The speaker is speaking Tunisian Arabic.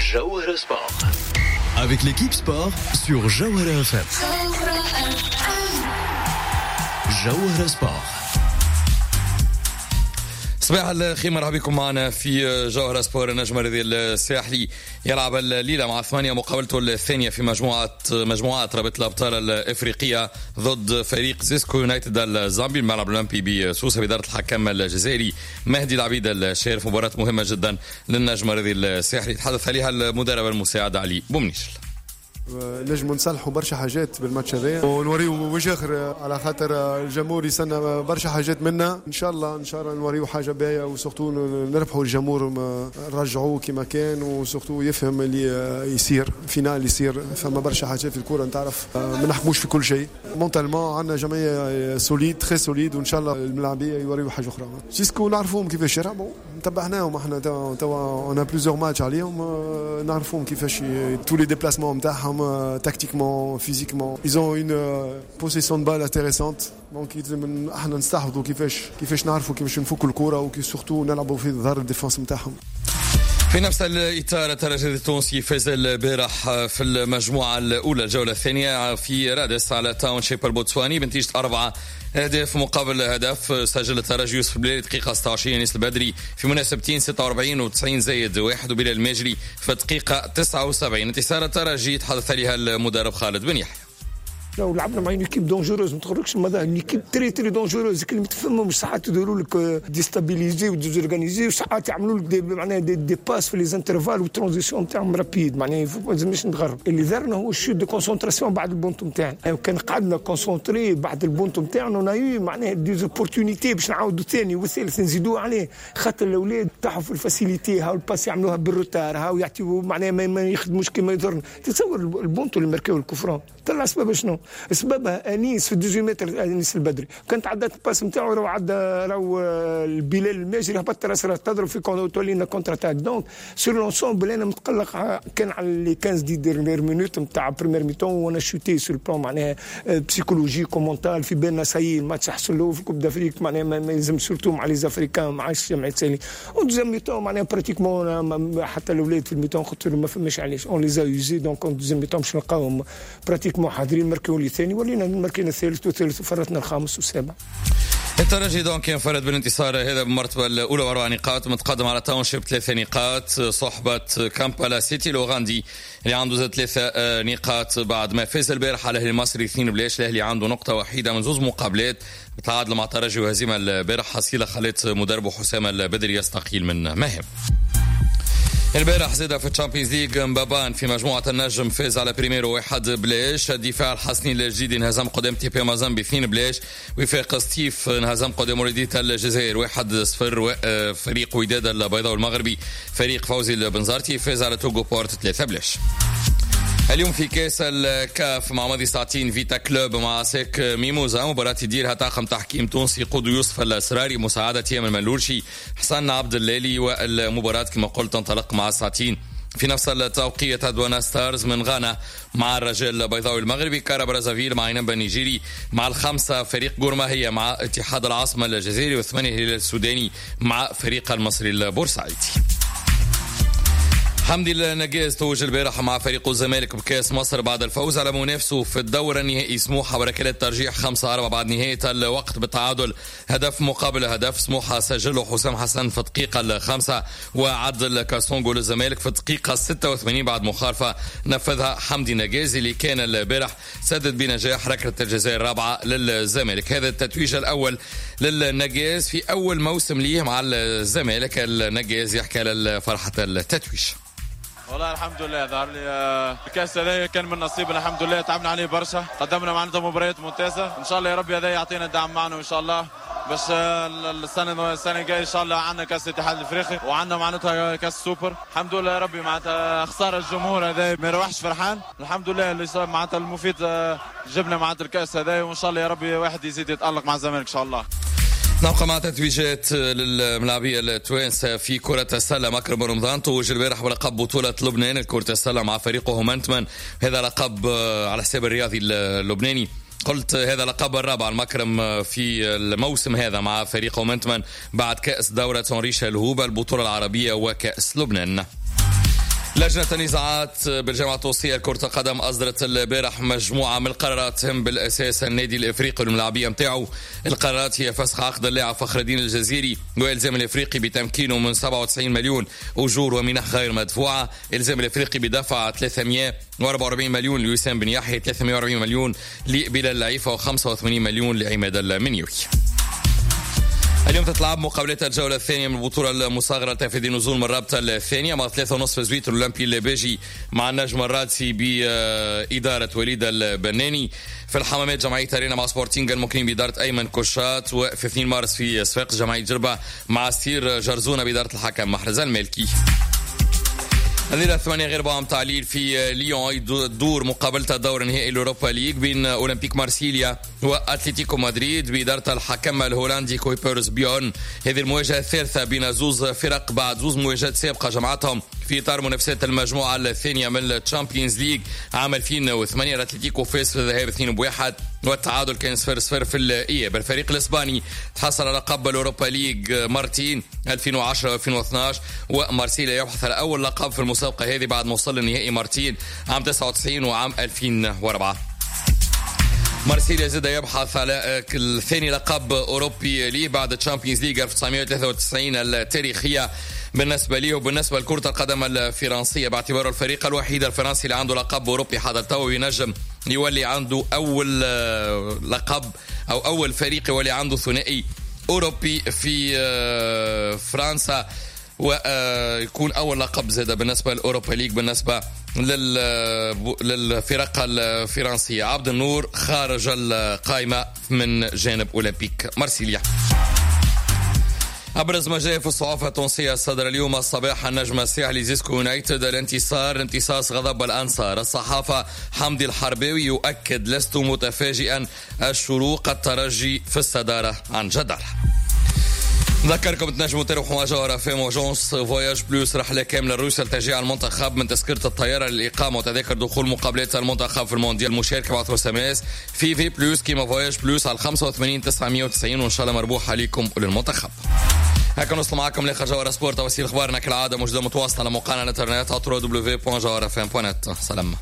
جوهرة Sport avec l'équipe sport sur جوهرة FM. جوهرة Sport. صباح الخير، مرحبا بكم معنا في جوهرة سبور. النجم الرياضي الساحلي يلعب الليلة مع 8 مقابلته الثانية في مجموعات رابطة الأبطال الإفريقية ضد فريق زيسكو يونايتد الزامبي، الملعب الأولمبي بسوسة بإدارة الحكم الجزائري مهدي العبيد الشارف. مباراة مهمة جدا للنجم الرياضي الساحلي تحدث عليها المدرب المساعد علي بومنيشل. نجموا نصلحوا برشا حاجات بالماتش هذايا ونوريو وجه اخر، على خاطر الجمهور يستنى برشا حاجات منا. ان شاء الله ان شاء الله نوريو حاجة باهيه، و surtout نربحوا الجمهور، نرجعوه كما كان، و surtout يفهم اللي يصير finale يصير. فما برشا حاجات في الكورة نتعرف، ما نحكموش في كل شيء. mentalement عندنا جمعية solide، très solide، وان شاء الله الملاعبيه يوريو حاجة اخرى. سيسكو نعرفوهم كيفاش يلعبوا، تبعناهم احنا توا، on a plusieurs matchs عليهم، نعرفوهم كيفاش tous les déplacements نتاعهم، tactiquement، physiquement. Ils ont une possession de balle intéressante. donc يلزم احنا نستحفظوا كيفاش نعرفوا كيفاش نفكوا الكره، وكي surtout نلعبوا في ظهر ال défense نتاعهم. في نفس الإطار، الترجي التونسي فاز البارح في المجموعة الأولى الجولة الثانية في رادس على تاونشيب البوتسواني بنتيجة 4 أهداف مقابل هدف. سجل الترجي يوسف بلالي دقيقة 26، أنيس البدري في مناسبتين 46 و90 زايد 1، وبلال الماجري في دقيقة 79. انتصار الترجي تحدث عليها المدرب خالد بن يحيى. لو لعبنا مع une équipe dangereuse، ما تخرجش ماذا، une équipe très très dangereuse اللي ما تفهمهمش، ساعات يديروا لك déstabilisés و désorganisés، وساعات يعملوا لك des معناها des passes في les intervalles وال transitions نتاعهم rapides. معناها ما لازمش نتغرب. اللي ضرنا هو ال chute de concentration بعد البونتو نتاعنا. يعني كان قعدنا concentrés بعد البونتو نتاعنا، on a eu معناها des opportunités باش نعاودوا الثاني والثالث نزيدوه عليه، خاطر الاولاد طاحوا في ال facilité، هاو ال passe يعملوها بال retard، هاو يعطيو معناها ما يخدموش كما يضرنا. تصور البونتو اللي ماركاو ال coup franc طلع سبب شنو؟ سببها انيس في 18 متر، انيس البدري كانت عدات ال passe نتاعو، راهو عدى راهو البلال الماجري هبط راس تضرب في تولي لنا contre-attaque. donc sur l'ensemble انا متقلق كان على les 15 dix dernières minutes نتاع première mi-temps، on a chuté sur le plan معناها psychologique و mental. في بالنا ça y est الماتش حصل له في Coupe d'Afrique، معناها ما يلزم surtout مع les Africains مع جمعية سالي. و deuxième mi-temps معناها pratiquement حتى الاولاد في ال mi-temps قلت لهم ما فماش علاش، on les a usés. donc deuxième mi-temps باش نلقاوهم pratiquement حاضرين. ماركيو لي ثاني، ولينا ماركينا الثالث والثالث وفرتنا الخامس والسابع. الترجي donc ينفرد بالانتصار هذا بالمرتبة الأولى وأربع نقاط، متقدم على تاونشيب 3 نقاط، صحبة كامبالا سيتي الأوغندي اللي عنده زاد 3 نقاط بعد ما فاز البارح على الأهلي المصري 2-0. الأهلي عنده نقطة وحيدة من زوز مقابلات، بتعادل مع ترجي وهزيمة البارح، حصيلة خلت مدربه حسام البدري يستقيل من مهام. البارح زاد في ال Champions League مبابان في مجموعة النجم فاز على بريميرو 1-0. الدفاع الحسني الجديدي انهزم قدام تي بي مازامبي 2-0. وفاق سطيف انهزم قدام مولودية الجزائر 1-0. فريق وداد البيضاء المغربي، فريق فوزي البنزرتي، فاز على توغو بورت 3-0. اليوم في كاس الكاف مع ماضي ساعتين فيتا كلوب مع أسيك ميموزا، مباراة يديرها طاقم تحكيم تونسي قود يوسف السراري، مساعدة يامن الملولشي، حسن عبد اللالي، والمباراة كما قلت تنطلق مع ساعتين. في نفس التوقيت أدوانا ستارز من غانا مع الرجاء البيضاوي المغربي، كارا برازافيل مع إنيمبا النيجيري، مع 5 فريق غورماهيا مع اتحاد العاصمة الجزائري، و8 الهلال السوداني مع فريق المصري البورسعيدي. حمدي النقاز توج البارح مع فريق الزمالك بكاس مصر بعد الفوز على منافسه في الدور النهائي سموحة بركلات ترجيح 5-4 بعد نهاية الوقت بالتعادل هدف مقابل هدف. سموحة سجله حسام حسن في الدقيقة 5 وعدل كاسونجو للزمالك في الدقيقة 86 بعد مخالفة نفذها حمدي نقاز، اللي كان البارح سدد بنجاح ركلة الجزاء الرابعة للزمالك. هذا التتويج الأول للنقاز في أول موسم ليه مع الزمالك. النقاز يحكي على فرحة التتويج. والله الحمد لله، ظهر لي الكاس هذا كان من نصيبنا. الحمد لله تعبنا عليه برشا، قدمنا معناتها مباريات ممتازه. ان شاء الله يا ربي هذا يعطينا دعم معنا، وان شاء الله باش السنه الجاية ان شاء الله عندنا كاس الاتحاد الافريقي وعندنا معناتها كاس سوبر. الحمد لله يا ربي، معناتها خسارة الجمهور هذا ما يروحش فرحان. الحمد لله اللي صار معناتها المفيد جبنا معناتها الكاس هذا، وان شاء الله يا ربي واحد يزيد يتالق مع الزمالك ان شاء الله. نبقى مع تتويجات للملاعبية التوانسة في كرة السلة. مكرم رمضان توج البارح بلقب بطولة لبنان لكرة السلة مع فريقه هومنتمن. هذا لقب على حساب الرياضي اللبناني. قلت هذا لقب الرابع المكرم في الموسم هذا مع فريق هومنتمن بعد كأس دورة هنري شلهوب، البطولة العربية وكأس لبنان. لجنة النزاعات بالجامعة التونسية لكرة القدم أصدرت البارح مجموعة من القرارات تهم بالأساس النادي الإفريقي والملاعبية نتاعو. القرارات هي فسخ عقد اللاعب فخر الدين الجزيري وإلزام الإفريقي بتمكينه من 97 مليون أجور ومنح غير مدفوعة، إلزام الإفريقي بدفع 344 مليون لوسام بن يحيى، 340 مليون لبلال العيفة و85 مليون لعماد المنيوي. اليوم تتلعب مقابلات الجولة الثانية من البطولة المصغرة لتفادي النزول من الرابطة الثانية مع 3:30 زويت الأولمبي الباجي مع النجم الرادسي بإدارة وليد البناني. في الحمامات جمعية أرينا مع سبورتينغ المكرم بإدارة أيمن كوشات، وفي 2 مارس في صفاقس جمعية جربة مع سير جرزونة بإدارة الحكم محرز المالكي. الليلة 7:45 متاع الليل في ليون تدور مقابلة الدور النهائي الأوروبا ليج بين أولمبيك مارسيليا وأتلتيكو مدريد بإدارة الحكم الهولندي كويبرز بيون. هذه المواجهة الثالثة بين زوز فرق بعد زوز مواجهات سابقة جمعتهم في إطار منافسات المجموعة الثانية من ال Champions League عام 2008. الأتلتيكو فاز في الذهاب 2-1 والتعادل كان 0-0 في الإياب. الفريق الإسباني تحصل على لقب الأوروبا ليج مرتين 2010 و2012، ومارسيليا يبحث على أول لقب في المسابقة هذه بعد ما وصل للنهائي مرتين عام 99 وعام 2004. مارسيليا زاد يبحث على الثاني لقب أوروبي ليه بعد Champions League 1993 التاريخية بالنسبة ليه وبالنسبة لكرة القدم الفرنسية، باعتباره الفريق الوحيد الفرنسي اللي عنده لقب أوروبي حتى تو ينجم يولي عنده أول لقب أو أول فريق يولي عنده ثنائي أوروبي في فرنسا، ويكون أول لقب زاد بالنسبة للأوروبا ليج بالنسبة للفرق الفرنسية. عبد النور خارج القائمة من جانب أولمبيك مارسيليا. أبرز ما جاء في الصحافة التونسية صدر اليوم الصباح: النجم الساحلي زيسكو يونايتد الانتصار امتصاص غضب الأنصار. الصحافة حمدي الحرباوي يؤكد لست متفاجئا، الشروق الترجي في الصدارة عن جدارة. نذكركم تنجموا تربحوا مع جوهرة FM agence Voyage Plus رحلة كاملة لروسيا لتشجيع المنتخب من تذكرة الطيارة للإقامة وتذاكر دخول مقابلات المنتخب في المونديال. المشاركة بعثوا SMS في V Plus كيما Voyage Plus على 85 990 وإن شاء الله مربوح عليكم وللمنتخب. هكا نوصل معكم لاخر جوهرة سبور. تفاصيل اخبارنا كالعادة موجودة متواصلة على موقعنا الانترنت www.jawharafm.net. سلام.